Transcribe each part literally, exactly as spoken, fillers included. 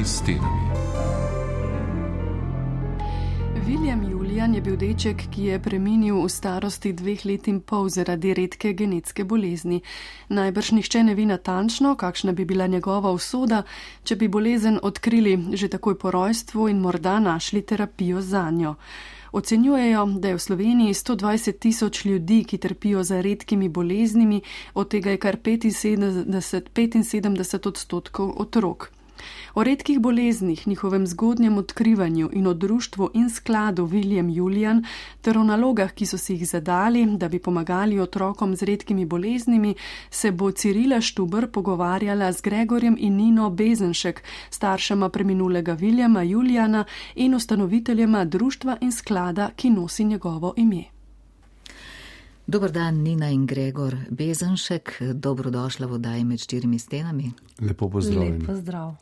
štirimi stenami. William Julian je bil deček, ki je preminil v starosti dveh let in pol zaradi redke genetske bolezni. Najbrž nihče ne ve natančno, kakšna bi bila njegova usoda, če bi bolezen odkrili že takoj po rojstvu in morda našli terapijo zanjo. Ocenjujejo, da je v Sloveniji sto dvajset tisoč ljudi, ki trpijo za redkimi boleznimi, od tega je kar petinsedemdeset odstotkov otrok. O redkih boleznih, njihovem zgodnjem odkrivanju in o društvu in skladu William Julian ter o nalogah, ki so si jih zadali, da bi pomagali otrokom z redkimi boleznimi, se bo Cirila Štuber pogovarjala z Gregorjem in Nino Bezenšek, staršema preminulega Williama Juliana in ustanoviteljema društva in sklada, ki nosi njegovo ime. Dober dan, Nina in Gregor Bezenšek, dobrodošla v oddaji Med štirimi stenami. Lepo pozdravljeni. Lep pozdrav.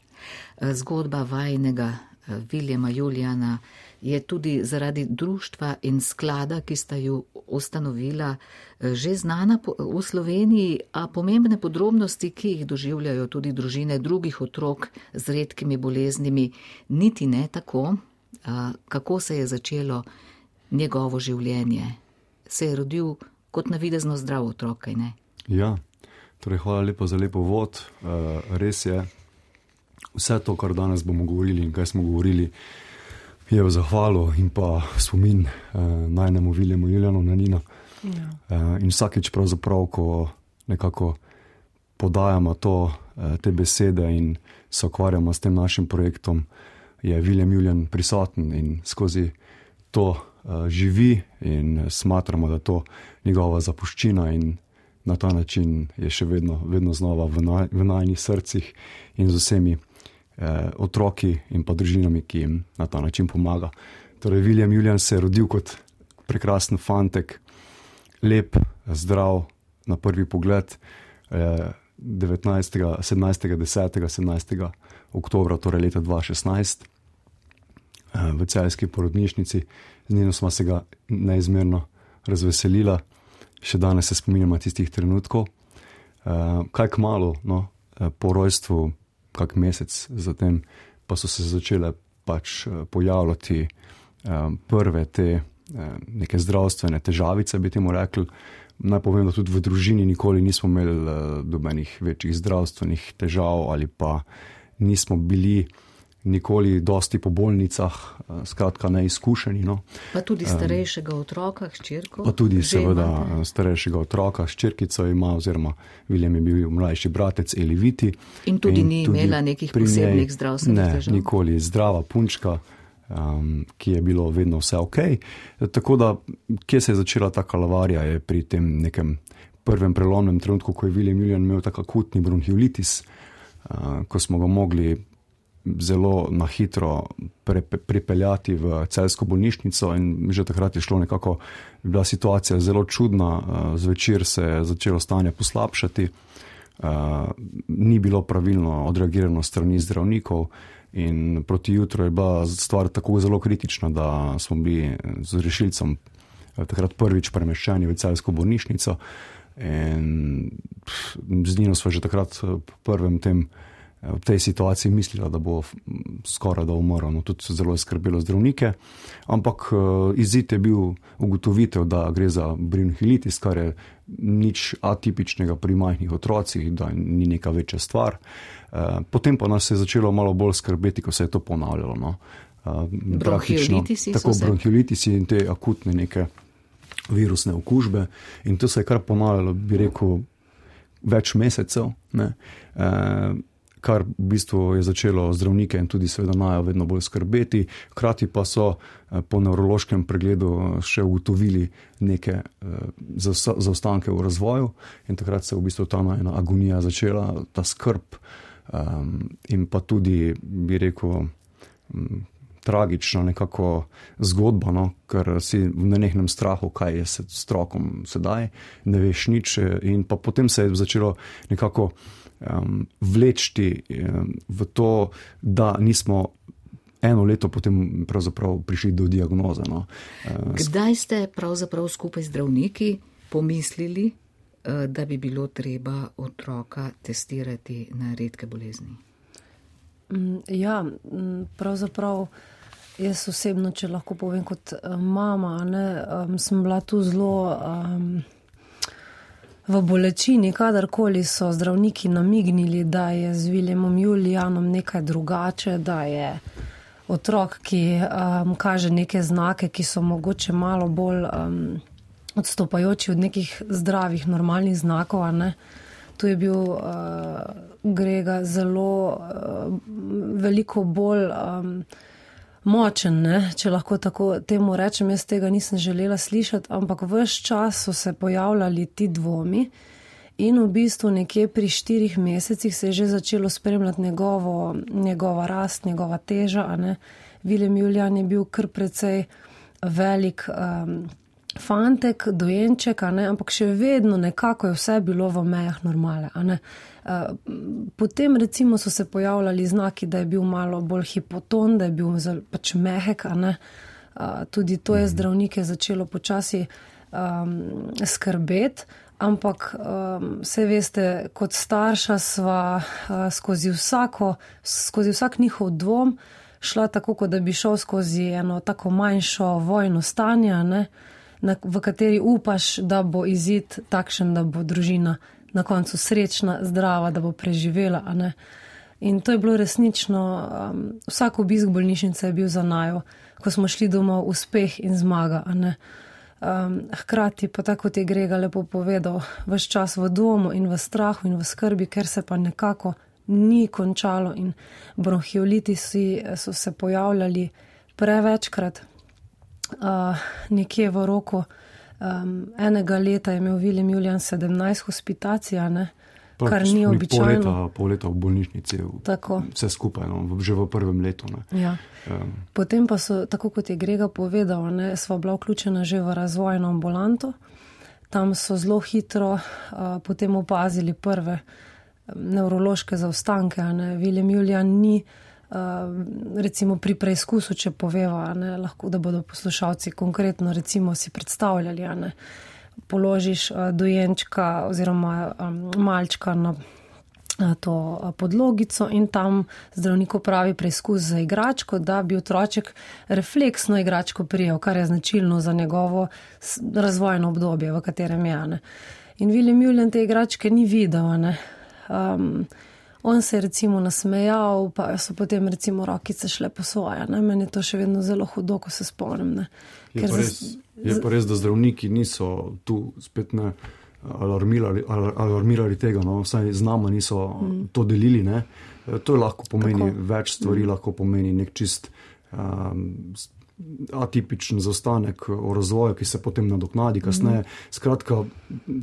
Zgodba vajnega Williama Juliana je tudi zaradi društva in sklada, ki sta ju ustanovila, že znana v Sloveniji, a pomembne podrobnosti, ki jih doživljajo tudi družine drugih otrok z redkimi boleznimi, niti ne tako. Kako se je začelo njegovo življenje? Se je rodil kot navidezno zdrav otrok, kaj ne? Ja, torej hvala lepo za lepo vod. Res je, vse to, kar danes bomo govorili in kaj smo govorili, je v zahvalo in pa spomin najnemu Williamu Julianu na Nino. Ja. In vsakeč pravzaprav, ko nekako podajamo to, te besede in se ukvarjamo s tem našim projektom, je William Julian prisoten in skozi to živi in smatramo, da to njegova zapuščina in na ta način je še vedno, vedno znova v, naj, v najnih srcih in z vsemi eh, otroki in pa družinami, ki jim na ta način pomaga. Torej, William Julian se je rodil kot prekrasen fantek, lep, zdrav na prvi pogled, eh, sedemnajstega desetega sedemnajstega oktobra, torej leta dva tisoč šestnajst, eh, v celjski porodnišnici. Z njeno smo se ga neizmerno razveselila, še danes se spominjamo tistih trenutkov. Uh, kaj kmalu, no, po rojstvu, kak mesec zatem, pa so se začele pač pojavljati uh, prve te uh, neke zdravstvene težavice, bi temu rekli. Naj povem, da tudi v družini nikoli nismo imeli uh, dobenih večjih zdravstvenih težav ali pa nismo bili nikoli dosti po bolnicah, skratka neizkušeni. No. Pa tudi starejšega otroka, hčerko? Pa tudi seveda imate. Starejšega otroka, hčerkico ima, oziroma William je bil mlajši bratec Eliviti. In tudi in ni tudi imela nekih posebnih njej, zdravstvenih težav? Ne, nikoli zdrava punčka, um, ki je bilo vedno vse ok. Tako da, kje se je začela ta kalavarija, je pri tem nekem prvem prelomnem trenutku, ko je William Julian imel tak akutni bronhiolitis, uh, ko smo ga mogli zelo na hitro pre, pripeljati v celjsko bolnišnico in že takrat je šlo nekako, bila situacija zelo čudna, zvečer se je začelo stanje poslabšati, ni bilo pravilno odreagirano strani zdravnikov in proti jutru je bila stvar tako zelo kritična, da smo bili z rešilcem takrat prvič premeščeni v celjsko bolnišnico in z njino smo že takrat po prvem tem v tej situaciji mislila, da bo skoraj da umrl, no, tudi zelo je skrbelo zdravnike, ampak izid je bil ugotovitev, da gre za bronhiolitis, kar je nič atipičnega pri majhnih otrocih, da ni neka večja stvar. Potem pa nas je začelo malo bolj skrbeti, ko se je to ponavljalo. No. Bronhiolitisi tako bronhiolitisi in te akutne neke virusne okužbe in to se je kar ponavljalo, bi rekel, več mesecev, ne. E, kar v bistvu je začelo zdravnike in tudi seveda najo vedno bolj skrbeti. Hkrati pa so po nevrološkem pregledu še ugotovili neke zaostanke v razvoju in takrat se je v bistvu ta ena agonija začela, ta skrb um, in pa tudi, bi rekel, um, tragična nekako zgodba, no, ker si v nenehnem strahu, kaj je s strokom sedaj, ne veš nič in pa potem se je začelo nekako Um, vlečti um, v to, da nismo eno leto potem pravzaprav prišli do diagnoze. No. Uh, Kdaj ste pravzaprav skupaj z zdravniki pomislili, uh, da bi bilo treba otroka testirati na redke bolezni? Ja, pravzaprav jaz osebno, če lahko povem kot mama, ne, um, sem bila tu zelo um, v bolečini, kadarkoli so zdravniki namignili, da je z Williamom Julijanom nekaj drugače, da je otrok, ki um, kaže neke znake, ki so mogoče malo bolj um, odstopajoči od nekih zdravih, normalnih znakov, a ne. Tu je bil uh, Grega zelo uh, veliko bolj um, močen, ne? Če lahko tako temu rečem. Jaz tega nisem želela slišati, ampak ves čas so se pojavljali ti dvomi in v bistvu nekje pri štirih mesecih se je že začelo spremljati njegovo, njegova rast, njegova teža. A ne? William Julijan je bil kar precej velik um, fantek, dojenček, a ne, ampak še vedno nekako je vse bilo v mejah normale, a ne. Potem recimo so se pojavljali znaki, da je bil malo bolj hipoton, da je bil pač mehek, a ne. Tudi to je zdravnike začelo počasi um, skrbeti, ampak um, se veste, kot starša sva uh, skozi vsako, skozi vsak njihov dvom šla tako, kot da bi šel skozi eno tako manjšo vojno stanje, a ne, Na, v kateri upaš, da bo izid takšen, da bo družina na koncu srečna, zdrava, da bo preživela. A ne? In to je bilo resnično, um, vsak obisk bolnišnice je bil za naju, ko smo šli domov, uspeh in zmaga. A ne? Um, hkrati pa tako, kot je Grega lepo povedal, ves čas v domu in v strahu in v skrbi, ker se pa nekako ni končalo in bronhiolitisi so se pojavljali prevečkrat. Uh, nekje v roku um, enega leta je imel William Julijan sedemnajst hospitacij, ne, kar ni običajno. Pol leta, pol leta v bolnišnici, tako. Vse skupaj, no, že v prvem letu. Ne. Ja. Um. Potem pa so, tako kot je Grega povedal, ne, sva bila vključena že v razvojno ambulanto. Tam so zelo hitro uh, potem opazili prve nevrološke zaostanke. Ne. William Julijan ni Uh, recimo pri preizkusu, če poveva, ne, lahko, da bodo poslušalci konkretno recimo si predstavljali, ne, položiš uh, dojenčka oziroma um, malčka na uh, to uh, podlogico in tam zdravnik opravi preizkus za igračko, da bi otroček refleksno igračko prijel, kar je značilno za njegovo razvojno obdobje, v katerem je. Ne. In William Julijan te igračke ni videl, ne. Um, On se je recimo nasmejal, pa so potem recimo rokice šle po svoje. Ne? Meni je to še vedno zelo hudo, ko se spomnim. Ne? Je, pa res, je pa res, da zdravniki niso tu spet ne alarmirali, alarmirali tega, no? Vsaj z nama niso mm. to delili. Ne? To lahko pomeni Tako. več stvari, mm. lahko pomeni nek čist um, atipičen zaostanek o razvoju, ki se potem nadoknadi kasneje. Mm. Skratka,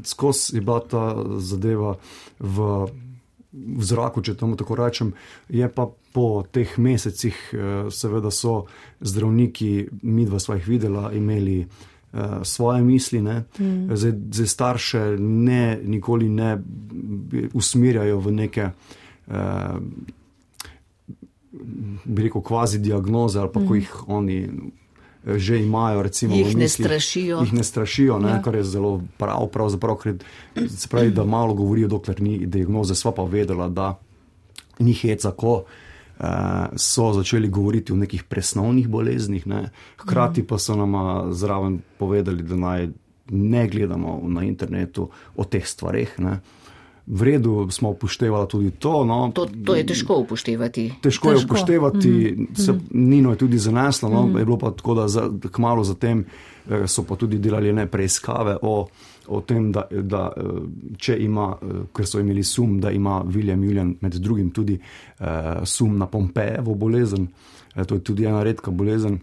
skozi je bila ta zadeva v v zraku, če temu tako rečem, je pa po teh mesecih, seveda so zdravniki, midva sva jih videla, imeli uh, svoje misli, ne. Mm. Zdaj, zdaj starše ne, nikoli ne usmerjajo v neke, uh, bi rekel, kvazi diagnoze, ali pa mm. ko jih oni že imajo, recimo, jih v mislih, ne strašijo, jih ne strašijo, ne, ja. Kar je zelo prav, pravzaprav, ker se pravi, da malo govorijo, dokler ni diagnoze. Sva pa vedela, da ni heca, ko eh, so začeli govoriti o nekih presnovnih boleznih, ne. Hkrati pa so nama zraven povedali, da naj ne gledamo na internetu o teh stvareh, ne. V redu smo upoštevali tudi to. No. To, to je težko upoštevati. Težko, težko. je upoštevati, mm-hmm. se Nino je tudi zaneslo, no. mm-hmm. je bilo pa tako, da za, kmalo zatem so pa tudi delali ne preiskave o, o tem, da, da če ima, ker so imeli sum, da ima William Julijan med drugim tudi eh, sum na Pompejevo bolezen, eh, to je tudi ena redka bolezen,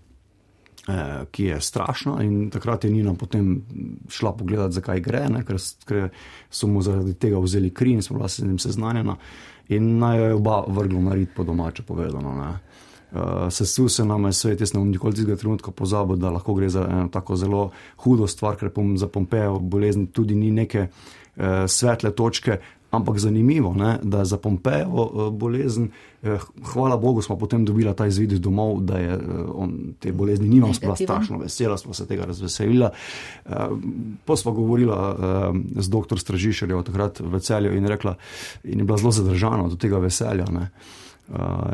ki je strašna, in takrat je Nina potem šla pogledati, zakaj gre, ne, ker, ker so mu zaradi tega vzeli kri in smo bila se z njim seznanjena in naj jo je oba vrglo na rit, po domače povedano. Ne. Uh, sesul se nam je svet, jaz ne bom nikoli tistega trenutka pozabil, da lahko gre za eno tako zelo hudo stvar, ker pom, za Pompejevo bolezni tudi ni neke uh, svetle točke, ampak zanimivo, ne, da za Pompejevo uh, bolezen, uh, hvala Bogu, smo potem dobila ta izvid domov, da je uh, on te bolezni nima, bila strašno vesela, smo se tega razveselila. Uh, pa smo govorila uh, z doktor Stražišerjevo takrat v Celju in rekla, in je bila zelo zadržana do tega veselja, ne.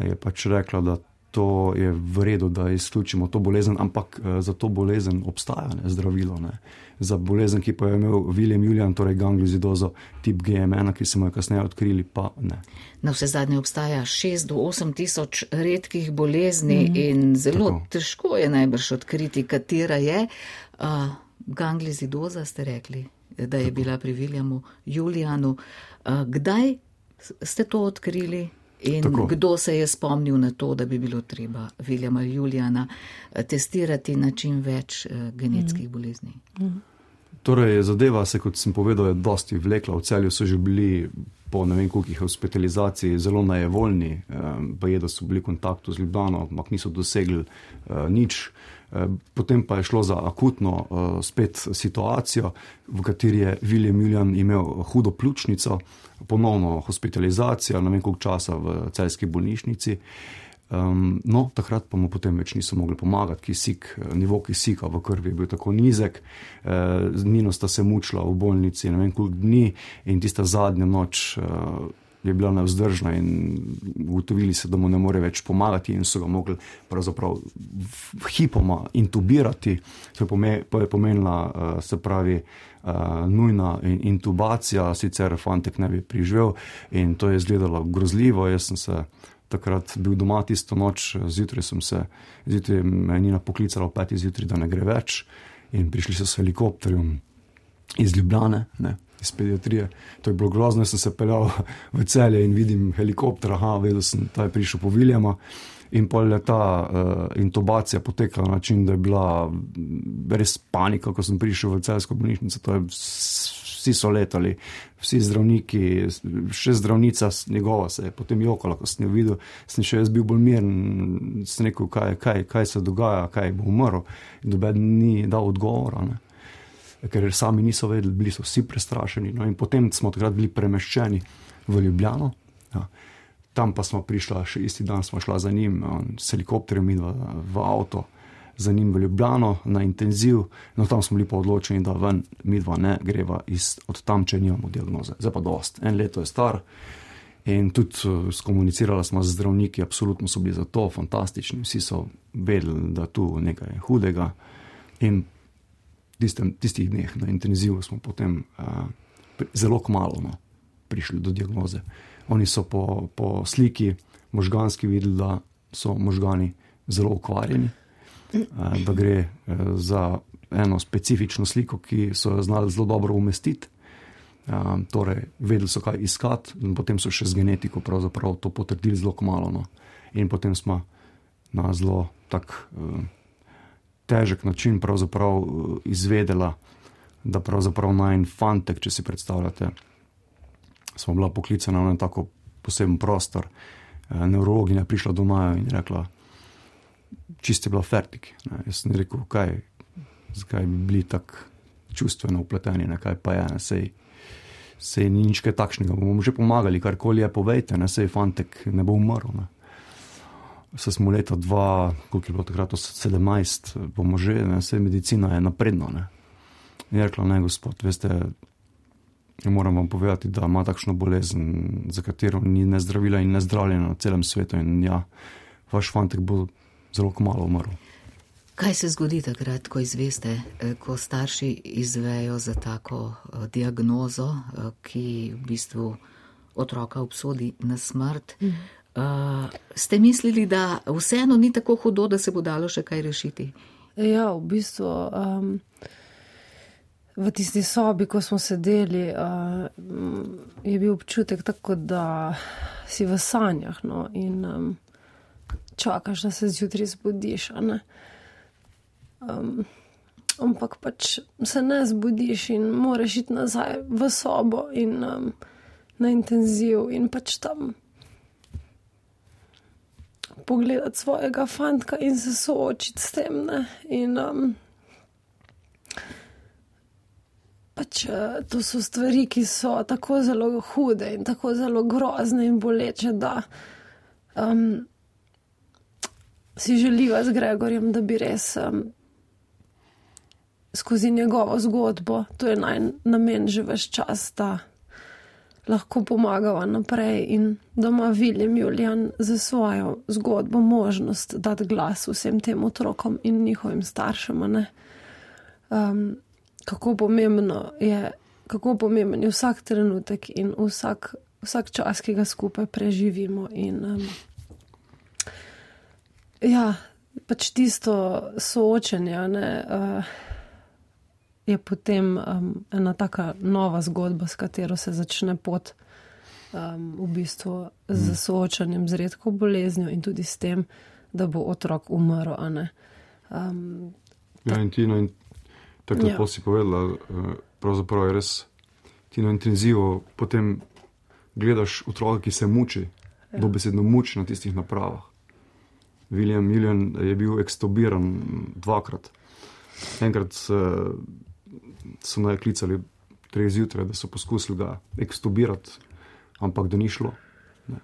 je pač rekla, da to je v redu, da izključimo to bolezen, ampak za to bolezen obstaja ne, zdravilo. Ne. Za bolezen, ki pa je imel William Julian, torej gangliozidozo tip G M ena, ki smo jo kasneje odkrili, pa ne. Na vse zadnje obstaja šest do osem tisoč redkih bolezni mm. in zelo Tako. težko je najbrž odkriti, katera je. Uh, gangliozidoza ste rekli, da je Tako. bila pri Williamu Julianu. Uh, kdaj ste to odkrili? In Tako. kdo se je spomnil na to, da bi bilo treba Williama Juliana testirati na čim več uh, genetskih mm. bolezni? Mm. Torej, zadeva se, kot sem povedal, je dosti vlekla. V Celju so že bili po ne vem kolikih hospitalizaciji zelo nejevoljni, pa je, da so bili v kontaktu z Ljubljano, ampak niso dosegli uh, nič. Potem pa je šlo za akutno uh, spet situacijo, v kateri je William Julian imel hudo pljučnico, ponovno hospitalizacijo, ne vem koliko časa v celjski bolnišnici. Um, no, takrat pa mu potem več niso mogli pomagati, kisik, nivo kisika v krvi je bil tako nizek, eh, z njino sta se mučila v bolnici ne vem koliko dni in tista zadnja noč eh, je bila nevzdržna in ugotovili se, da mu ne more več pomagati in so ga mogli pravzaprav hipoma intubirati, to je pomenila, eh, se pravi, eh, nujna intubacija, sicer fantek ne bi preživel in to je izgledalo grozljivo. Jaz sem se takrat bil doma tisto noč, zjutraj sem se, zjutraj me je Nina poklicala v peti zjutraj, da ne gre več in prišli so s helikopterjem iz Ljubljane, ne, iz pediatrije. To je bilo grozno, sem se peljal v Celje in vidim helikopter, aha, vedel sem, ta je prišel po Williama in pol je ta uh, intubacija potekala na način, da je bila res panika, ko sem prišel v celjsko bolnišnico, to je vsi so letali, vsi zdravniki, še zdravnica njegova se je potem jokala, ko sem jo videl, sem še jaz bil bolj miren, sem rekel, kaj, kaj, kaj se dogaja, kaj bo umrl, in doben ni dal odgovora, ne. Ker sami niso vedeli, bili so vsi prestrašeni, no in potem smo takrat bili premeščeni v Ljubljano, ja. Tam pa smo prišla, še isti dan smo šla za njim, s helikopterjem in v, v avto, za njim v Ljubljano na intenziv, no tam smo bili pa odločeni, da ven midva ne greva iz, od tam, če nimamo diagnoze. Zdaj pa dost, en leto je star in tudi skomunicirala smo z zdravniki, absolutno so bili za to fantastični, vsi so vedeli, da tu nekaj je hudega in tistem, tistih dneh na intenzivu smo potem uh, zelo kmalu no, prišli do diagnoze. Oni so po, po sliki možganski videli, da so možgani zelo ukvarjeni, da gre za eno specifično sliko, ki so jo znali zelo dobro umestiti. Torej, vedeli so, kaj iskati, in potem so še z genetiko pravzaprav to potrdili zelo kmalu. No. In potem smo na zelo tak težek način pravzaprav izvedela, da pravzaprav najin fantek, če si predstavljate, smo bila poklicana na tako poseben prostor. Neurologinja prišla do naju in rekla, čist je bila fertik. Ne. Jaz sem rekel, kaj, zakaj bi bili tako čustveno upleteni, ne, kaj pa je, ne, sej, sej ni nič kaj takšnega, bomo že pomagali, karkoli je, povejte, ne, sej fantek ne bo umrl. Ne. Se smo leta dva, koliko je bilo takrat, sedemnajst, bomo že, ne, sej medicina je napredna. Ne. In je rekla, ne, gospod, veste, moram vam povedati, da ima takšno bolezen, za katero ni ne zdravila in ne zdravljena na celem svetu in ja, vaš fantek bo zelo kmalu umrl. Kaj se zgodi takrat, ko izveste, ko starši izvejo za tako diagnozo, ki v bistvu otroka obsodi na smrt? Mm. Uh, ste mislili, da vseeno ni tako hudo, da se bo dalo še kaj rešiti? Ja, v bistvu um, v tisti sobi, ko smo sedeli, uh, je bil občutek tako, da si v sanjah, no, in um, čakaš, da se zjutraj zbudiš, a ne. Um, ampak pač se ne zbudiš in moraš iti nazaj v sobo in um, na intenziv in pač tam pogledati svojega fantka in se soočiti s tem, ne. In um, pač to so stvari, ki so tako zelo hude in tako zelo grozne in boleče, da um, si želiva z Gregorjem, da bi res um, skozi njegovo zgodbo, to je naj namen že ves čas, da lahko pomagava naprej in da ima William Julian za svojo zgodbo možnost dati glas vsem tem otrokom in njihovim staršem. Ne? Um, kako pomembno je, kako pomemben je vsak trenutek in vsak, vsak čas, ki ga skupaj preživimo. In, um, ja, pač tisto soočenje, ne, uh, je potem um, ena taka nova zgodba, s katero se začne pot um, v bistvu z soočanjem z redko boleznjo in tudi s tem, da bo otrok umrl. A ne. Um, ja, in Tino, in tako Ja. lepo si povedala, eh, pravzaprav je res Tino intenzivo, potem gledaš otroka, ki se muči, Ja. dobesedno muči na tistih napravah. William Julian je bil ekstubiran dvakrat. Enkrat eh, so naj klicali treh zjutraj, da so poskusili ga ekstubirati, ampak da ni šlo. Ne.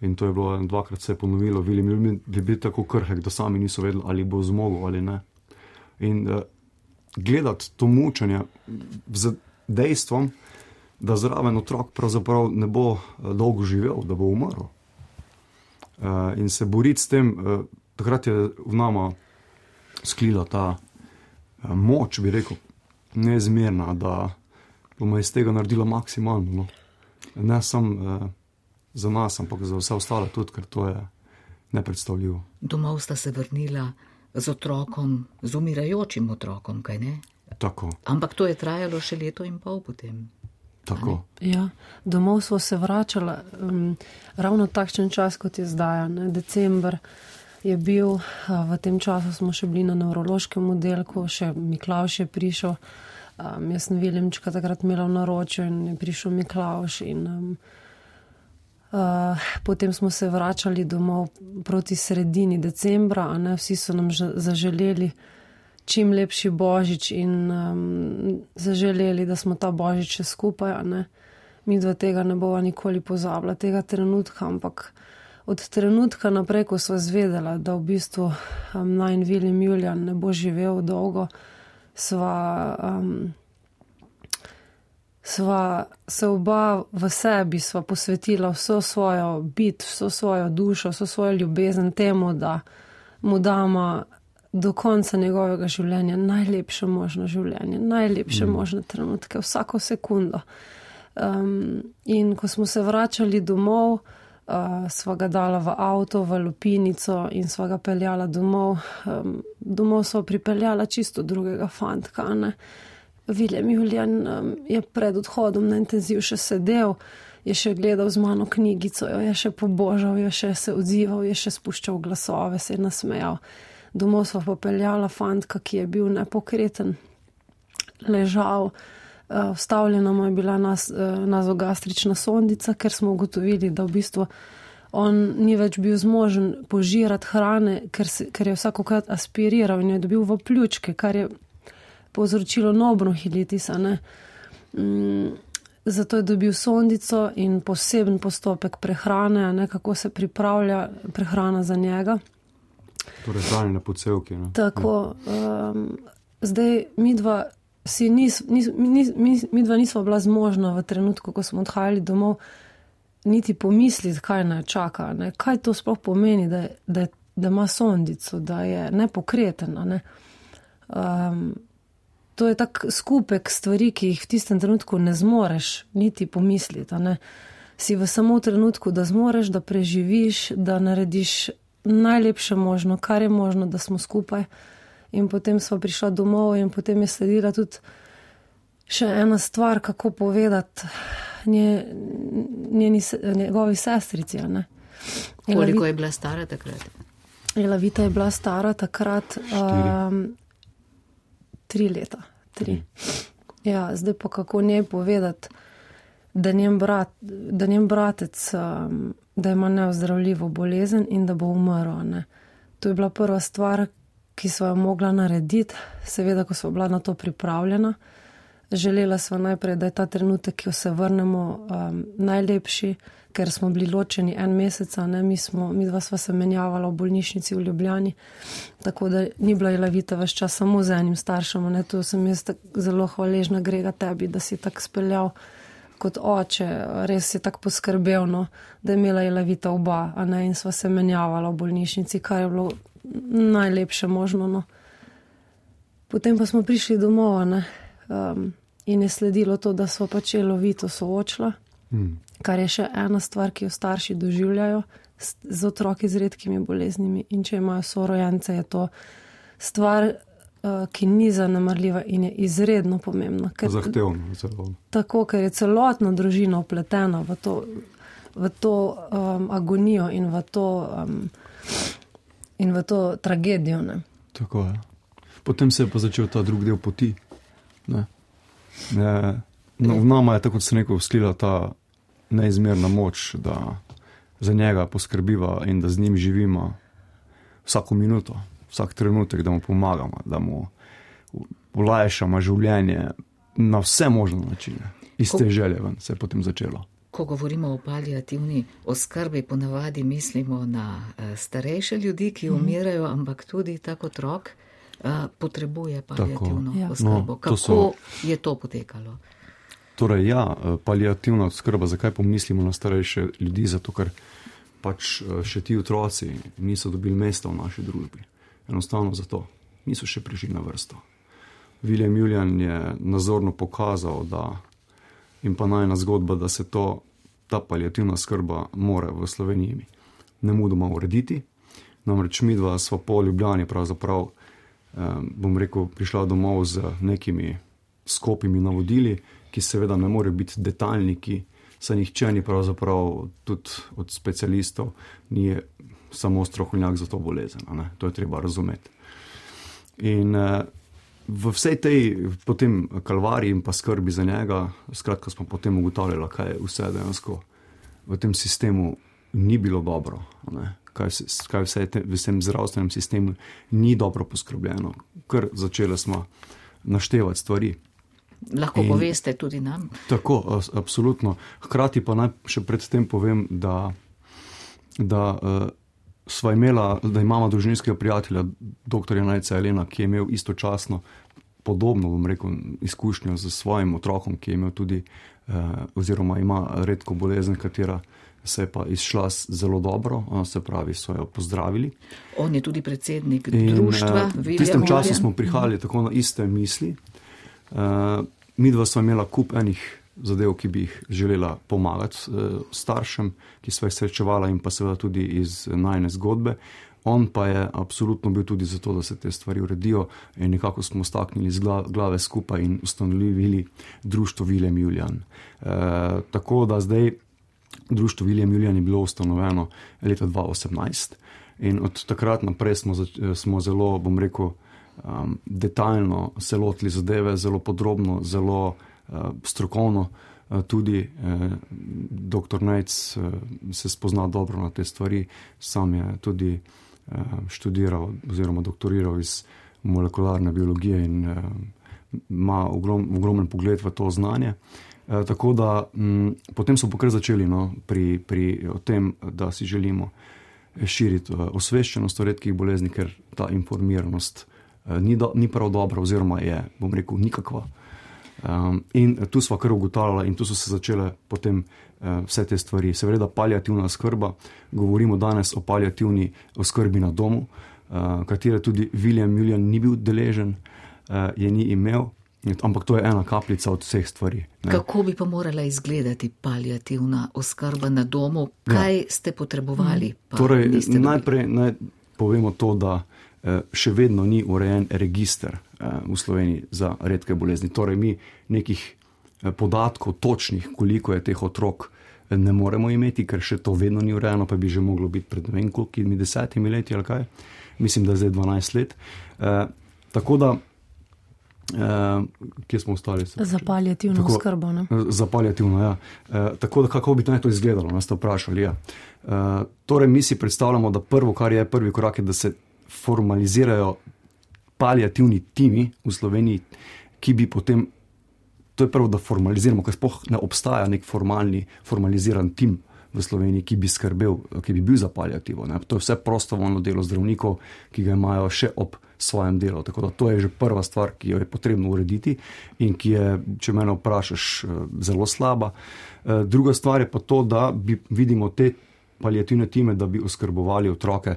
In to je bilo dvakrat se je ponovilo. William Julian je bil tako krhek, da sami niso vedeli, ali bo zmogel ali ne. In eh, gledati to mučenje z dejstvom, da zraven otrok pravzaprav ne bo eh, dolgo živel, da bo umrl. Uh, in se boriti s tem, uh, takrat je v nama sklila ta uh, moč, bi rekel, neizmerna, da bomo iz tega naredila maksimalno. No. Ne samo uh, za nas, ampak za vse ostale tudi, ker to je nepredstavljivo. Domov sta se vrnila z otrokom, z umirajočim otrokom, kaj ne? Tako, Ampak to je trajalo še leto in pol potem. tako. Ja, domov smo se vračali um, ravno takšen čas, kot je zdaj. Ne? December je bil, a, v tem času smo še bili na nevrološkem oddelku, še Miklavž je prišel. Um, jaz sem Williamčka takrat imela v naročju in je prišel Miklavž. In, um, uh, potem smo se vračali domov proti sredini decembra, a ne, vsi so nam že zaželeli čim lepši božič in um, zaželeli, da smo ta božič še skupaj. A ne. Mi dva tega ne bova nikoli pozabila, tega trenutka, ampak od trenutka naprej, ko sva zvedela, da v bistvu um, najin William Julian ne bo živel dolgo, sva, um, sva se oba v sebi, sva posvetila vso svojo bit, vso svojo dušo, vso svojo ljubezen temu, da mu dama do konca njegovega življenja najlepše možno življenje, najlepše mm. možne trenutke, vsako sekundo. Um, in ko smo se vračali domov, uh, sva ga dala v avto, v lupinico in sva ga peljala domov. Um, domov sva pripeljala čisto drugega fantka. Ne? William Julian um, je pred odhodom na intenziv še sedel, je še gledal z mano knjigico, jo je še pobožal, je še se odzival, je še spuščal glasove, se je nasmejal. Domov sva popeljala fantka, ki je bil nepokreten, ležal, vstavljena mu je bila nas, nazogastrična sondica, ker smo ugotovili, da v bistvu on ni več bil zmožen požirati hrane, ker, se, ker je vsakokrat aspiriral in je dobil v pljučke, kar je povzročilo nobronhilitis. Mm, zato je dobil sondico in poseben postopek prehrane, ne, kako se pripravlja prehrana za njega. Torej, hranjene pocevke. Ne? Tako, um, zdaj midva, si nis, nis, nis, nis, midva nisva bila zmožna v trenutku, ko smo odhajali domov, niti pomisliti, kaj naj čaka. Ne? Kaj to sploh pomeni, da, da, da ima sondico, da je nepokreten. Ne? Um, to je tak skupek stvari, ki jih v tistem trenutku ne zmoreš niti pomisliti. Ne? Si v samo trenutku, da zmoreš, da preživiš, da narediš najlepše možno, kar je možno, da smo skupaj. In potem sva prišla domov in potem je sledila tudi še ena stvar, kako povedati nje, njeni, njegovi sestrici. Ne? Koliko je bila stara takrat? Elavita je bila stara takrat um, tri leta. Tri. Ja, zdaj pa kako njej povedati, da njen, brat, da njen bratec um, da ima neozdravljivo bolezen in da bo umrl. Ne. To je bila prva stvar, ki sva jo mogla narediti, seveda, ko sva bila na to pripravljena. Želela sva najprej, da je ta trenutek, ki jo se vrnemo, um, najlepši, ker smo bili ločeni en meseca, ne, mi, smo, mi dva sva se menjavala v bolnišnici v Ljubljani, tako da ni bila Elavita ves čas samo z enim staršem, ne, to sem jaz zelo hvaležna, Grega, tebi, da si tako speljal kot oče, res je tako poskrbel, no, da je imela Jelavita oba, a ne, in sva se menjavala v bolnišnici, kar je bilo najlepše možno, no. Potem pa smo prišli domov, ne, um, in je sledilo to, da sva pač Jelavito soočila, mm. kar je še ena stvar, ki jo starši doživljajo z, z otroki z redkimi boleznimi, in če imajo sorojence, je to stvar, ki ni zanemarljiva in je izredno pomembna. Ker, zahtevno. Zelo. Tako, ker je celotna družina upletena v to, v to um, agonijo in v to, um, in v to tragedijo. Ne. Tako je. Potem se je pa začel ta drug del poti. Ne. Ne, no, v nama je, tako kot se neko vslila, ta neizmerna moč, da za njega poskrbiva in da z njim živimo vsako minuto. Vsak trenutek, da mu pomagamo, da mu olajšamo življenje na vse možne načine. Iz te želje ven se je potem začelo. Ko govorimo o paliativni oskrbi, ponavadi mislimo na starejše ljudi, ki umirajo, mm. ampak tudi tak otrok potrebuje paliativno tako. oskrbo. No, Kako so... je to potekalo? Torej ja, paliativna oskrba, zakaj pomislimo na starejše ljudi? Zato, ker pač še ti otroci niso dobili mesta v naši družbi. Enostavno zato. Niso še prišli na vrsto. William Julian je nazorno pokazal, da in pa najna zgodba, da se to, ta paliativna skrba mora v Sloveniji nemudoma urediti. Namreč midva sva po Ljubljani pravzaprav, eh, bom rekel, prišla domov z nekimi skopimi navodili, ki seveda ne morejo biti detaljni, ki se nihče ni pravzaprav tudi od specialistov ni samo strokovnjak za to bolezen. Ne? To je treba razumeti. In eh, v vsej tej potem kalvariji in pa skrbi za njega, skratka smo potem ugotavljali, kaj vse dejansko v tem sistemu ni bilo dobro. Ne? Kaj, kaj vse te, v tem zdravstvenem sistemu ni dobro poskrbljeno. Ker začeli smo naštevati stvari. Lahko in, poveste tudi nam. Tako, absolutno. Hkrati pa naj še predtem povem, da, da uh, sva imela, da imamo družinskega prijatelja, doktorja Najca Elena, ki je imel istočasno podobno, bom rekel, izkušnjo z svojim otrokom, ki je imel tudi, uh, oziroma ima redko bolezen, katera se je pa izšla zelo dobro, se pravi, so jo pozdravili. On je tudi predsednik in, društva. V tistem času smo prihajali tako na iste misli. Uh, midva sva imela kup enih zadev, ki bi jih želela pomagati uh, staršem, ki sva jih srečevala in pa seveda tudi iz najne zgodbe. On pa je absolutno bil tudi za to, da se te stvari uredijo in nekako smo staknili z glave skupaj in ustanovili društvo William Julian. Uh, tako da zdaj društvo William Julian je bilo ustanovljeno leta dva tisoč osemnajst in od takrat naprej smo, smo zelo, bom rekel, Um, detaljno se lotili zadeve, zelo podrobno, zelo uh, strokovno. Uh, tudi uh, doktor Nejc uh, se spozna dobro na te stvari, sam je tudi uh, študiral oziroma doktoriral iz molekularne biologije in uh, ima ogrom, ogromen pogled v to znanje. Uh, tako da um, potem so pokrat začeli no, pri, pri o tem, da si želimo širiti uh, osveščenost o redkih bolezni, ker ta informiranost Ni, do, ni prav dobro, oziroma je, bom rekel, nikakva. Um, in tu sva kar ugotavljala in tu so se začele potem uh, vse te stvari. Seveda paliativna oskrba, govorimo danes o paliativni oskrbi na domu, uh, katere tudi William Julian ni bil deležen, uh, je ni imel, ampak to je ena kapljica od vseh stvari. Ne. Kako bi pa morala izgledati paliativna oskrba na domu? Kaj ja. ste potrebovali? Pa torej, najprej naj povemo to, da še vedno ni urejen register v Sloveniji za redke bolezni. Torej, mi nekih podatkov točnih, koliko je teh otrok, ne moremo imeti, ker še to vedno ni urejeno, pa bi že moglo biti pred ne vem kolikimi desetimi leti ali kaj. Mislim, da je zdaj dvanajst let. E, tako da, e, kje smo ostali? Za paliativno tako, oskrbo, ne? Za paliativno, ja. E, tako da, kako bi naj to izgledalo, nas ste vprašali, ja. E, torej, mi si predstavljamo, da prvo, kar je prvi korak, je, da se formalizirajo paliativni timi v Sloveniji, ki bi potem, to je prvo, da formaliziramo, ker sploh ne obstaja nek formalni, formaliziran tim v Sloveniji, ki bi skrbel, ki bi bil za paliativo. Ne. To je vse prostovoljno delo zdravnikov, ki ga imajo še ob svojem delu. Tako da to je že prva stvar, ki jo je potrebno urediti in ki je, če mene vprašaš, zelo slaba. Druga stvar je pa to, da bi, vidimo te paliativne time, da bi oskrbovali otroke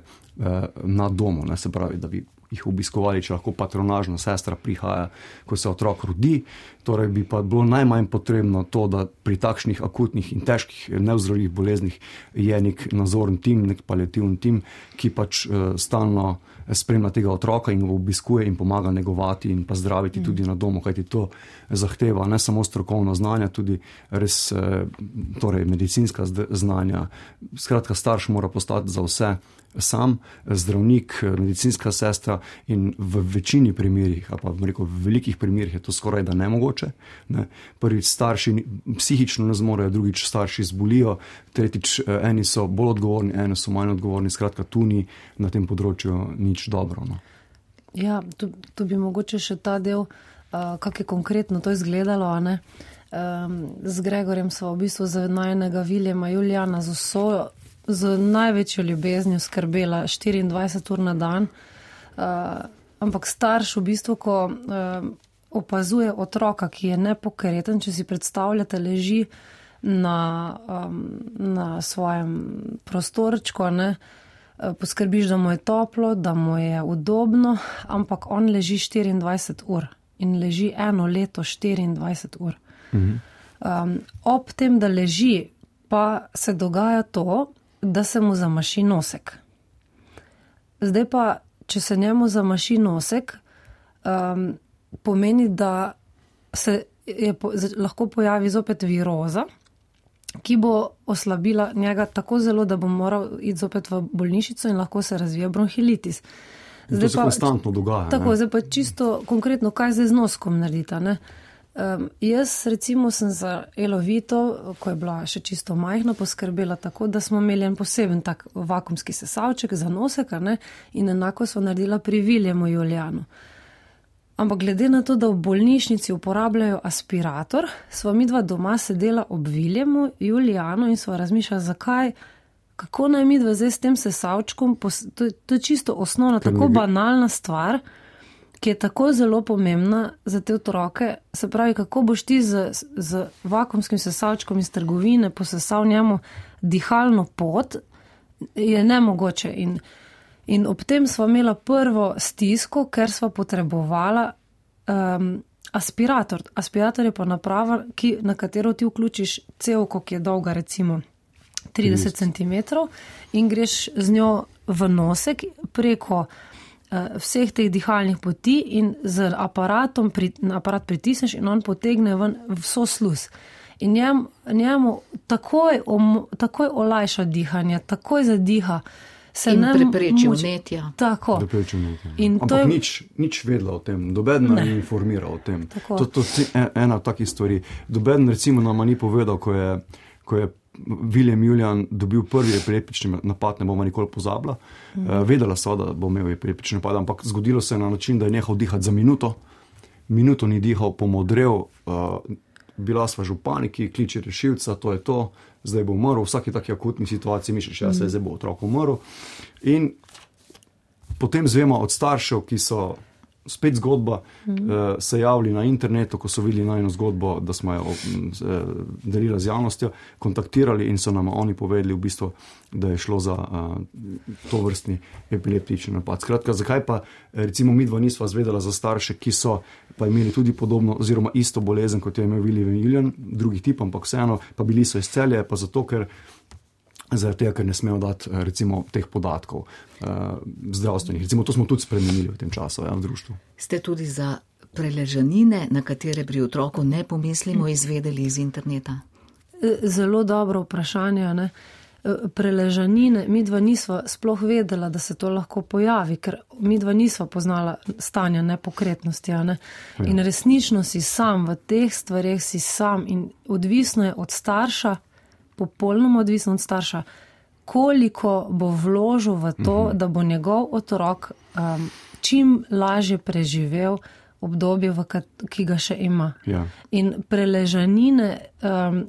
na domu, ne, se pravi, da bi jih obiskovali, če lahko patronažna sestra prihaja, ko se otrok rodi. Torej bi pa bilo najmanj potrebno to, da pri takšnih akutnih in težkih neozdravljivih boleznih je nek nazorni tim, nek paliativni tim, ki pač uh, stalno spremlja tega otroka in ga obiskuje in pomaga negovati in pa zdraviti mm. tudi na domu, kajti to zahteva ne samo strokovno znanje, tudi res uh, torej medicinska znanja. Skratka, starš mora postati za vse sam, zdravnik, medicinska sestra in v večini primerih, ali pa rekel, v velikih primerih je to skoraj da nemogoče. Ne. Prvič starši psihično ne zmorejo, drugič starši zbolijo, tretjič eni so bolj odgovorni, eni so manj odgovorni, skratka tu ni na tem področju nič dobro. No. Ja, tu, tu bi mogoče še ta del, uh, kak je konkretno to izgledalo, a ne? Um, z Gregorjem sva v bistvu za najnega Viljema Julijana z vso z največjo ljubeznijo skrbela štiriindvajset ur na dan, uh, ampak starš v bistvu, ko uh, opazuje otroka, ki je nepokreten, če si predstavljate, leži na, um, na svojem prostorčku, ne, uh, poskrbiš, da mu je toplo, da mu je udobno, ampak on leži štiriindvajset ur in leži eno leto štiriindvajset ur. Mhm. Um, ob tem, da leži, pa se dogaja to, da se mu zamaši nosek. Zdaj pa, če se njemu zamaši nosek, um, pomeni, da se je po, lahko pojavi zopet viroza, ki bo oslabila njega tako zelo, da bo moral iti zopet v bolnišnico in lahko se razvije bronhilitis. Zdaj to se pa, konstantno dogaja. Tako, ne? Zdaj pa čisto konkretno, kaj zdaj z noskom naredita, ne? Um, jaz recimo sem za Elovito, ko je bila še čisto majhna, poskrbela tako, da smo imeli en poseben tak vakumski sesavček za nosek, ne? In enako smo naredila pri Viljemu Julijanu. Ampak glede na to, da v bolnišnici uporabljajo aspirator, sva midva doma sedela ob Viljemu Julijanu in sva razmišljala, zakaj, kako naj midva zdaj s tem sesavčkom, to, to je čisto osnovna, tako banalna stvar, ki je tako zelo pomembna za te otroke, se pravi, kako boš ti z, z vakumskim sesavčkom iz trgovine posesal njemu dihalno pot, je nemogoče. In, in ob tem sva imela prvo stisko, ker sva potrebovala um, aspirator. Aspirator je pa naprava, ki, na katero ti vključiš cevko, ki je dolga recimo trideset centimetrov in greš z njo v nosek preko vseh teh dihalnih poti in z aparatom pri, aparat pritisneš in on potegne ven vso sluz. In njem, njemu takoj, om, takoj olajša dihanje, takoj zadiha. Se in ne prepreči moč... vnetja. Tako. Prepreči vnetja. In ampak to je... nič, nič vedela o tem, dobeden ni informiral o tem. Tako. To, to je ena od takih stvari. Dobeden recimo nama ni povedal, ko je, ko je Viljem Julijan dobil prvi epileptični napad, ne bomo nikoli pozabila. Mm. Uh, vedela sva, da bo imel epileptični napad, ampak zgodilo se je na način, da je nehal dihati za minuto. Minuto ni dihal, pomodrel, uh, bila sva že v paniki, kliče rešilca, to je to, zdaj bo umrl. V vsaki taki akutni situaciji misliš, ja, se zdaj bo otrok umrl. In potem zvemo od staršev, ki so spet zgodba, mm. uh, se javili na internetu, ko so videli najno zgodbo, da smo jo uh, delili z javnostjo, kontaktirali in so nam oni povedali v bistvu, da je šlo za uh, to vrstni epileptični napad. Skratka, zakaj pa recimo midva nisva zvedela za starše, ki so pa imeli tudi podobno oziroma isto bolezen, kot je imel Viljem Julijan, drugi tip, ampak vseeno, pa bili so iz Celja, pa zato, ker zaradi tega, ker ne smejo dati recimo teh podatkov uh, zdravstvenih. Recimo to smo tudi spremenili v tem času, ja, v društvu. Ste tudi za preležanine, na katere pri otroku ne pomislimo, izvedeli iz interneta? Zelo dobro vprašanje, ne? Preležanine, midva nisva sploh vedela, da se to lahko pojavi, ker midva nisva poznala stanja nepokretnosti, ne? In resnično si sam v teh stvareh si sam in odvisno je od starša, popolnoma odvisno od starša, koliko bo vložil v to, uh-huh. da bo njegov otrok um, čim lažje preživel obdobje, v kat, ki ga še ima. Ja. In preležanine, um,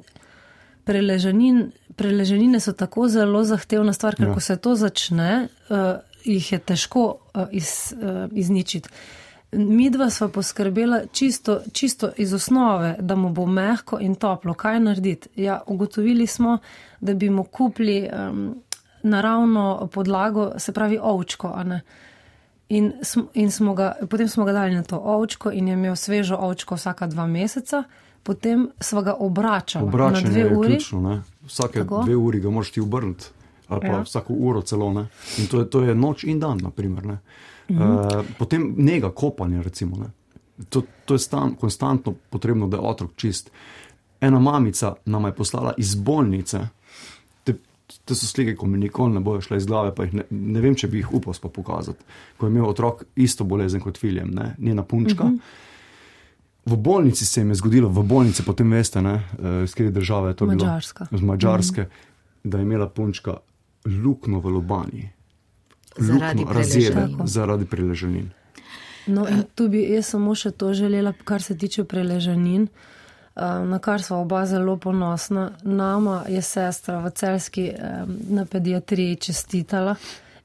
preležanin, preležanine so tako zelo zahtevna stvar, ker ja. ko se to začne, uh, jih je težko uh, iz, uh, izničiti. Midva sva poskrbela čisto, čisto iz osnove, da mu bo mehko in toplo. Kaj narediti? Ja, ugotovili smo, da bi mu kupili um, naravno podlago, se pravi ovčko, a ne? In, in smo ga, potem smo ga dali na to ovčko in je imel svežo ovčko vsaka dva meseca, potem sva ga obračala Obračanje na dve uri. Je ključno, ne? Vsake Tako? dve uri ga moraš ti obrniti, ali pa Ja. vsako uro celo, ne? In to je, to je noč in dan, naprimer, ne? Mhm. Uh, potem njega, kopanje, recimo, ne? To, to je stan, konstantno potrebno, da je otrok čist. Ena mamica nama je poslala iz bolnice, te, te so slike, ko mi nikoli ne bojo šle iz glave, pa jih ne, ne vem, če bi jih upal pa pokazati, ko je imel otrok isto bolezen kot Viljem, ne? Njena punčka. Mhm. V bolnici se jim je zgodilo, v bolnici potem veste, ne, iz kje države je to bilo? Madžarska. Z Madžarske, mm. da je imela punčka luknjo v lobanji. Zaradi preležanin. Zaradi preležanin. No in tu bi jaz samo še to želela, kar se tiče preležanin, na kar sva oba zelo ponosna. Nama je sestra v Celjski na pediatriji čestitala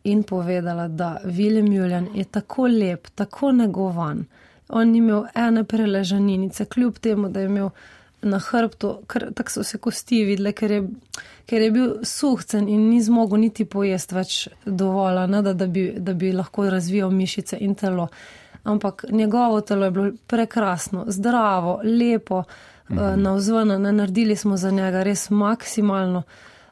in povedala, da Viljem Julijan je tako lep, tako negovan. On ni imel ene preležaninice, kljub temu, da je imel na hrbtu, tako so se kosti videle, ker je, ker je bil suhcen in ni zmogel niti pojesti več dovolj, ne, da, da, bi, da bi lahko razvijal mišice in telo. Ampak njegovo telo je bilo prekrasno, zdravo, lepo, mhm. navzven, ne, naredili smo za njega res maksimalno.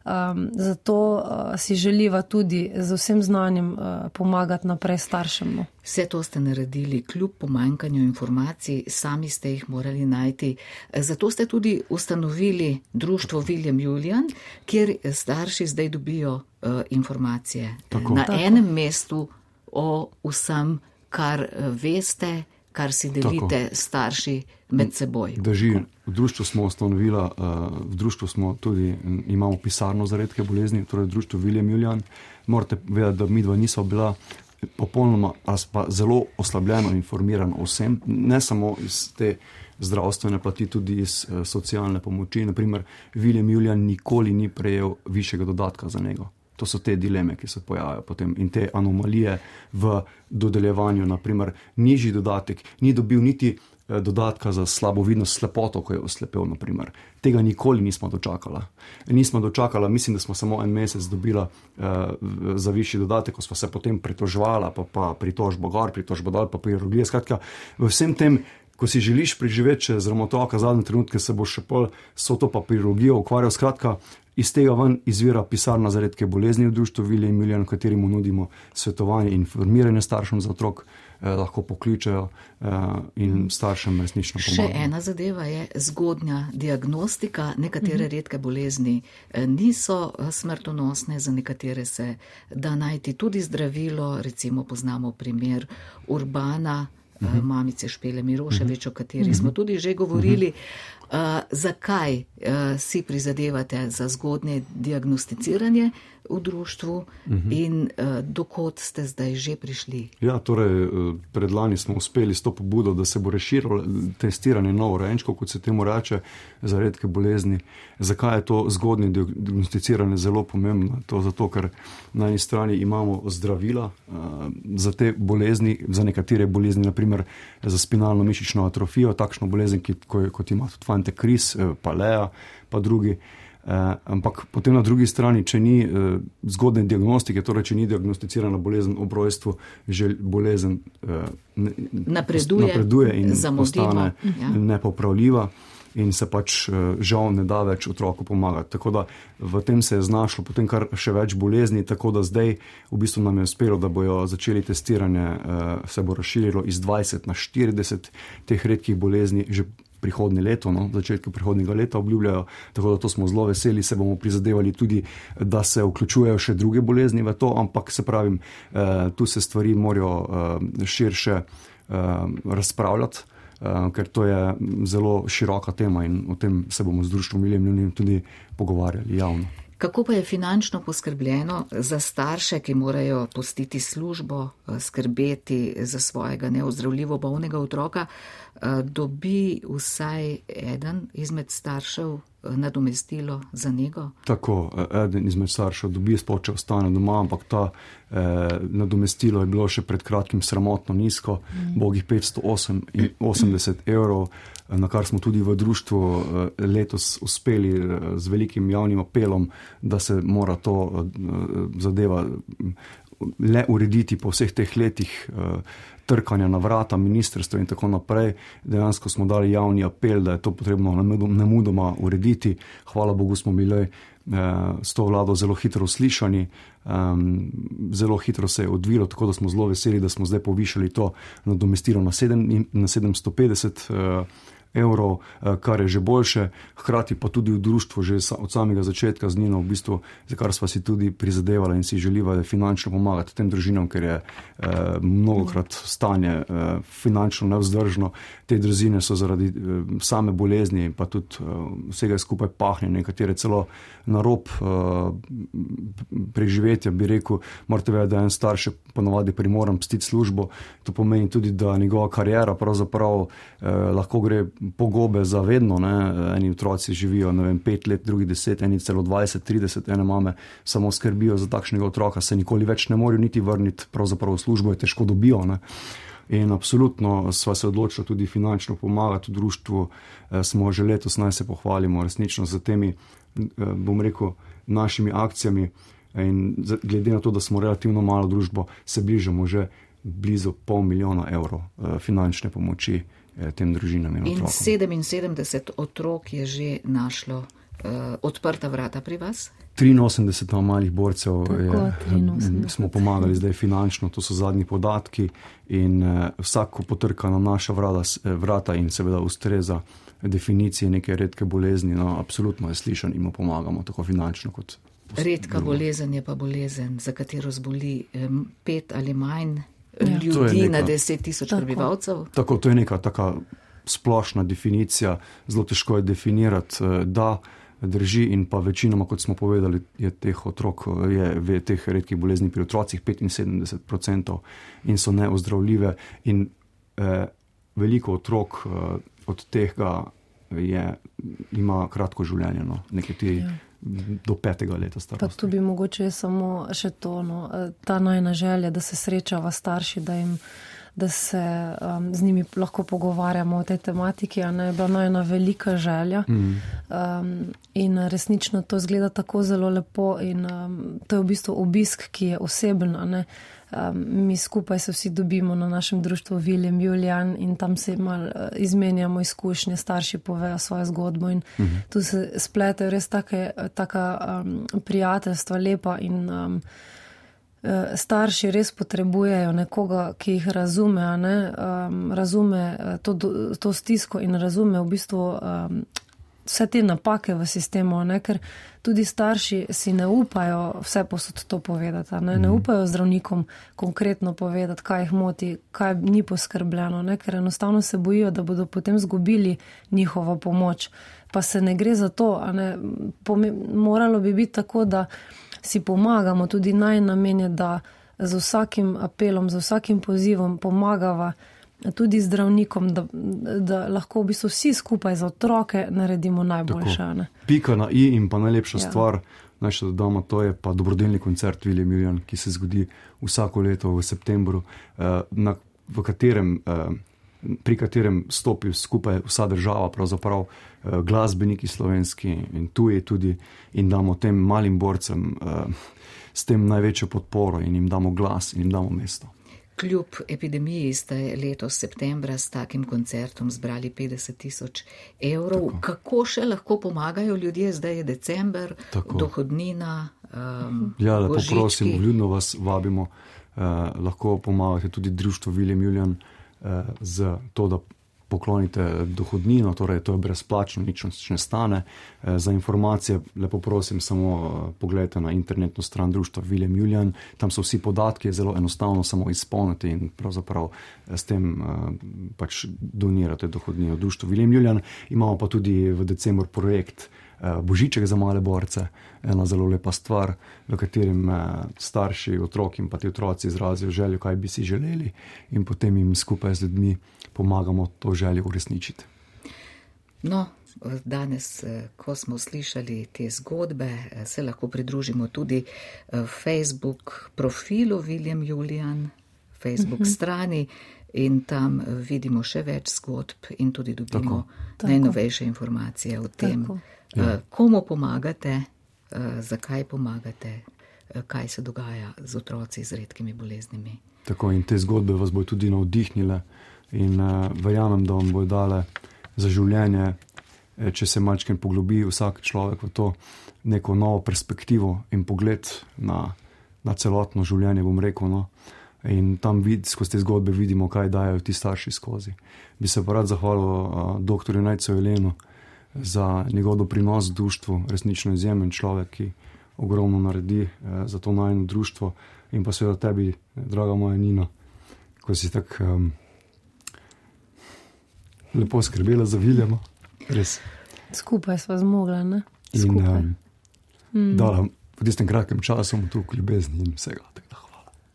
Um, zato uh, si želiva tudi z vsem znanjem uh, pomagati naprej staršem. No. Vse to ste naredili kljub pomanjkanju informacij, sami ste jih morali najti. Zato ste tudi ustanovili društvo Viljem Julijan, kjer starši zdaj dobijo uh, informacije Tako. na Tako. enem mestu o vsem, kar veste, kar si delite Tako. starši med seboj. Drži, v društvu smo ustanovila, v društvu smo tudi, imamo pisarno za redke bolezni, torej društvo Viljem Julijan. Morate vedeti, da midva nisva bila popolnoma, pa zelo oslabljeno informirano o vsem, ne samo iz te zdravstvene plati, tudi iz socialne pomoči. Naprimer, Viljem Julijan nikoli ni prejel višjega dodatka za njega. To so te dileme, ki se pojavljajo potem in te anomalije v dodeljevanju. Naprimer, nižji dodatek, ni dobil niti dodatka za slabovidnost, slepoto, ko je oslepel, naprimer. Tega nikoli nismo dočakala. Nismo dočakala, mislim, da smo samo en mesec dobila uh, za višji dodatek, ko smo se potem pritožvala, pa, pa pritožbo gor, pritožbo dol, pa pirologije. Skratka, v vsem tem, ko si želiš preživeti čez revmatoka zadnje trenutke, se bo še pol so to papirologijo ukvarjal. Skratka, iz tega ven izvira pisarna za redke bolezni v društvu Viljem Julijan, v katerem nudimo svetovanje in informiranje staršem za otrok, eh, lahko pokličejo eh, in staršem resnično pomagajo. Še ena zadeva je zgodnja diagnostika. Nekatere mm-hmm. redke bolezni niso smrtonosne, za nekatere se da najti tudi zdravilo. Recimo poznamo primer Urbana, mm-hmm. mamice Špele Miroševič, mm-hmm. o kateri mm-hmm. smo tudi že govorili. Mm-hmm. Uh, zakaj uh, si prizadevate za zgodnje diagnosticiranje v društvu uh-huh. in uh, dokot ste zdaj že prišli? Ja, torej predlani smo uspeli s to pobudo, da se bo razširilo testiranje novorojenčkov, kot se temu reče, za redke bolezni. Zakaj je to zgodnje diagnosticiranje zelo pomembno? To zato, ker na eni strani imamo zdravila uh, za te bolezni, za nekatere bolezni, naprimer za spinalno mišično atrofijo, takšno bolezen, ki, ko, kot ima tudi Fante Kris, Palea, pa drugi. Eh, ampak potem na drugi strani, če ni eh, zgodne diagnostike, torej če ni diagnosticirana bolezen ob rojstvu, že bolezen eh, ne, napreduje, napreduje in zamudimo. postane ja. nepopravljiva in se pač eh, žal ne da več otroku pomagati. Tako da v tem se je znašlo potem kar še več bolezni, tako da zdaj v bistvu nam je uspelo, da bojo začeli testiranje, eh, se bo razširilo iz dvajset na štirideset teh redkih bolezni že prihodnje leto, no, začetku prihodnjega leta obljubljajo, tako da to smo zelo veseli, se bomo prizadevali tudi, da se vključujejo še druge bolezni v to, ampak se pravim, eh, tu se stvari morajo eh, širše eh, razpravljati, eh, ker to je zelo široka tema in o tem se bomo z društvom Viljem Julijan tudi pogovarjali javno. Kako pa je finančno poskrbljeno za starše, ki morajo pustiti službo, skrbeti za svojega neozdravljivo bolnega otroka? dobi vsaj eden izmed staršev nadomestilo za nego? Tako, eden izmed staršev dobi, sploh če ostane doma, ampak ta eh, nadomestilo je bilo še pred kratkim sramotno nizko, mm. bogih petsto osemdeset evrov, na kar smo tudi v društvu letos uspeli z velikim javnim apelom, da se mora to zadeva le urediti po vseh teh letih trkanja na vrata ministrstva in tako naprej. Dejansko smo dali javni apel, da je to potrebno nemudoma urediti. Hvala Bogu smo bili s to vlado zelo hitro uslišani, zelo hitro se je odvilo, tako da smo zelo veseli, da smo zdaj povišali to nadomestilo na, na sedemsto petdeset evrov, kar je že boljše, hkrati pa tudi v društvu že od samega začetka z Nino, v bistvu, za kar sva si tudi prizadevala in si želiva finančno pomagati tem družinam, ker je eh, mnogokrat stanje eh, finančno nevzdržno. Te družine so zaradi eh, same bolezni pa tudi eh, vsega skupaj pahnjene, nekatere celo na rob eh, preživetja, bi rekel, morate vedeti, da en starš ponovadi primoran pustiti službo, to pomeni tudi, da njegova karijera pravzaprav eh, lahko gre pogobe za vedno, ne? Eni otroci živijo, ne vem, pet let, drugi deset, eni celo dvajset, trideset, ene mame samo skrbijo za takšnega otroka, se nikoli več ne morajo niti vrniti, pravzaprav v službo je težko dobijo, ne? In absolutno sva se odločila tudi finančno pomagati v društvu, e, smo že letos, naj se pohvalimo resnično za temi, e, bom rekel, našimi akcijami in glede na to, da smo relativno malo družbo, se bližamo že blizu pol milijona evrov e, finančne pomoči tem družinam in otrokom. In sedeminsedemdeset otrok je že našlo uh, odprta vrata pri vas? triinosemdeset malih borcev je, smo pomagali zdaj finančno, to so zadnji podatki in uh, vsako potrka na naša vrata, vrata in seveda ustreza definiciji neke redke bolezni, no absolutno je slišan in mu pomagamo tako finančno kot redka drugo. Bolezen je pa bolezen, za katero zboli um, pet ali manj Ja. ljudi neka, na deset tisoč prebivalcev. Tako, to je neka taka splošna definicija, zelo težko je definirati, da drži in pa večinoma, kot smo povedali, je teh otrok, je, je teh redkih bolezni pri otrocih petinsedemdeset procentov in so neozdravljive in eh, veliko otrok eh, od tega je, ima kratko življenje, no, nekaj ja. do petega leta starosti. Pa tu bi mogoče samo še to, no, ta najna želja, da se srečava starši, da, jim, da se um, z njimi lahko pogovarjamo o tej tematiki, a ne, je bila najna velika želja mm. um, in resnično to izgleda tako zelo lepo in um, to je v bistvu obisk, ki je oseben, a ne. Um, mi skupaj se vsi dobimo na našem društvu Viljem Julijan in tam se malo uh, izmenjamo izkušnje, starši povejo svojo zgodbo in uh-huh. tu se spletejo res take, taka um, prijateljstva lepa in um, uh, starši res potrebujejo nekoga, ki jih razume, a ne, um, razume to, to stisko in razume v bistvu um, vse te napake v sistemu, ne, ker tudi starši si ne upajo vse posod to povedati, ne, ne upajo zdravnikom konkretno povedati, kaj jih moti, kaj ni poskrbljeno, ne, ker enostavno se bojijo, da bodo potem zgubili njihovo pomoč. Pa se ne gre za to, a ne, moralo bi biti tako, da si pomagamo, tudi naj namen je, da z vsakim apelom, z vsakim pozivom pomagava tudi zdravnikom, da, da lahko v bistvu vsi skupaj za otroke naredimo najboljše. Pika na i in pa najlepša ja. stvar, naj še dodamo, to je pa dobrodelni koncert Viljem Julijan, ki se zgodi vsako leto v septembru, na, v katerem, pri katerem stopi skupaj vsa država, pravzaprav glasbeniki slovenski in tuji tudi in damo tem malim borcem s tem največjo podporo in jim damo glas in jim damo mesto. Kljub epidemiji ste letos septembra s takim koncertom zbrali petdeset tisoč evrov. Tako. Kako še lahko pomagajo ljudje? Zdaj je december, Tako. dohodnina, um, Ja, lepo božički. prosim, vljudno vas vabimo. Uh, lahko pomagate tudi društvo Viljem Julijan uh, z to, da poklonite dohodnino, torej to je brezplačno, nič ne stane. Za informacije lepo prosim samo pogledajte na internetno stran društva Viljem Julijan, tam so vsi podatki, je zelo enostavno samo izpolniti in pravzaprav s tem pač donirate dohodnino društvu Viljem Julijan. Imamo pa tudi v decembru projekt Božiček za male borce, ena zelo lepa stvar, v katerem starši, otroki in pa ti otroci izrazijo željo, kaj bi si želeli, in potem jim skupaj z ljudmi pomagamo to željo uresničiti. No, danes, ko smo slišali te zgodbe, se lahko pridružimo tudi Facebook profilu William Julian, Facebook uh-huh. strani, in tam vidimo še več zgodb in tudi dobimo tako. najnovejše informacije o tem, ja. komu pomagate, zakaj pomagate, kaj se dogaja z otroci z redkimi boleznimi. Tako, in te zgodbe vas bodo tudi navdihnile in uh, verjamem, da vam bodo dale za življenje, če se malčkem poglobi vsak človek v to neko novo perspektivo in pogled na, na celotno življenje, bom rekel, no. In tam vid, skozi te zgodbe vidimo, kaj dajo ti starši skozi. Bi se pa rad zahvalil uh, doktorju Nejcu Jelenu za njegov doprinos društvu, resnično izjemen človek, ki ogromno naredi uh, za to najino društvo, in pa seveda tebi, draga moja Nina, ko si tako um, lepo skrbela za Viljama. Res. Skupaj sva zmogla, ne? Skupaj. In um, mm. dala v tistem kratkem času toliko ljubezni in vsega.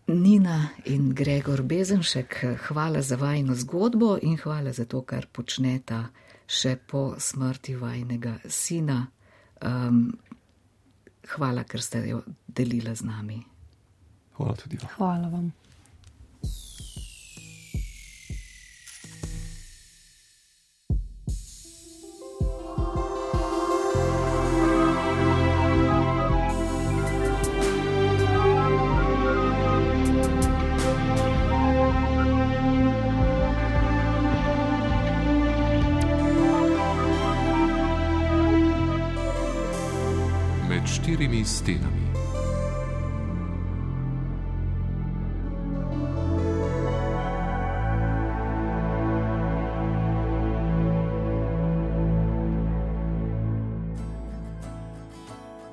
Nina in Gregor Bezenšek, hvala za vajino zgodbo in hvala za to, kar počneta še po smrti vajnega sina. Um, hvala, ker ste jo delila z nami. Hvala tudi vam. Hvala vam. Štirimi stenami.